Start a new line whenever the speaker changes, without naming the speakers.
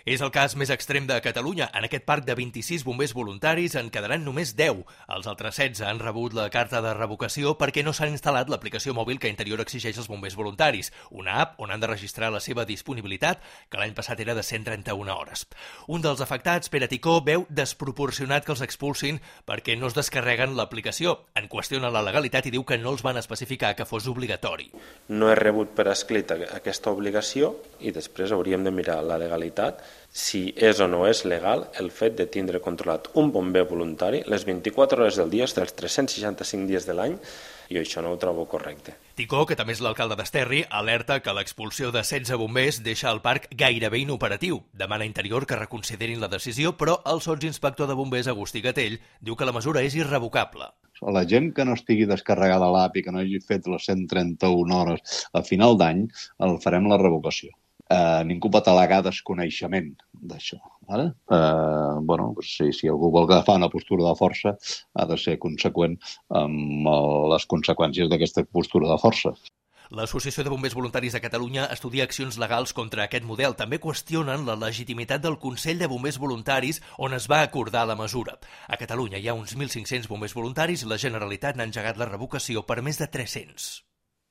És el cas més extrem de Catalunya. En aquest parc de 26 bombers voluntaris en quedaran només 10. Els altres 16 han rebut la carta de revocació perquè no s'han instal·lat l'aplicació mòbil que Interior exigeix als bombers voluntaris, una app on han de registrar la seva disponibilitat, que l'any passat era de 131 hores. Un dels afectats, Pere Ticó, veu desproporcionat que els expulsin perquè no es descarreguen l'aplicació. En qüestiona la legalitat i diu que no els van especificar que fos obligatori.
No he rebut per escrit aquesta obligació i després hauríem de mirar la legalitat, si és o no és legal el fet de tindre controlat un bomber voluntari les 24 hores del dia, dels 365 dies de l'any, i això no ho trobo correcte.
Ticó, que també és l'alcalde d'Esterri, alerta que l'expulsió de 16 bombers deixa el parc gairebé inoperatiu. Demana a Interior que reconsiderin la decisió, però el sotsinspector de bombers, Agustí Gatell, diu que la mesura és irrevocable.
La gent que no estigui descarregada l'app i que no hagi fet les 131 hores a final d'any, el farem la revocació. Ningú pot al·legar desconeixement d'això. Si algú vol agafar una postura de força, ha de ser conseqüent amb les conseqüències d'aquesta postura de força.
L'Associació de Bombers Voluntaris de Catalunya estudia accions legals contra aquest model. També qüestionen la legitimitat del Consell de Bombers Voluntaris on es va acordar la mesura. A Catalunya hi ha uns 1.500 bombers voluntaris i la Generalitat n'ha engegat la revocació per més de 300.